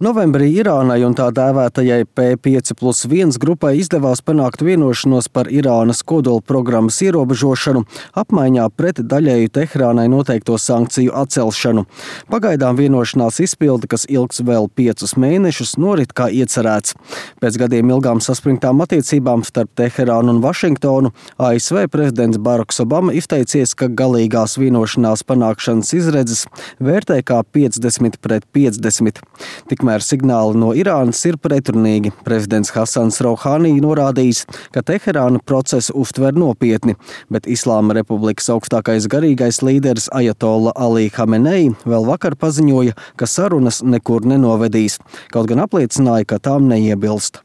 Novembrī Irānai un tā dēvētajai P5+1 grupai izdevās panākt vienošanos par Irānas kodolprogrammas ierobežošanu, apmaiņā pret daļēju Teherānai noteikto sankciju atcelšanu. Pagaidām vienošanās izpilde, kas ilgs vēl 5 mēnešus, norit kā iecerēts. Pēc gadiem ilgām saspringtām attiecībām starp Teherānu un Vašingtonu, ASV prezidents Baraks Obama izteicies, ka galīgās vienošanās panākšanas izredzes vērtē kā 50-50. Tikmēr signāli no Irānas ir pretrunīgi. Prezidents Hasans Rouhani norādījis, ka Teherāna procesu uztver nopietni, bet Islāma Republikas augstākais garīgais līderis Ajatolla Ali Hamenei vēl vakar paziņoja, ka sarunas nekur nenovedīs, kaut gan apliecināja, ka tām neiebilst.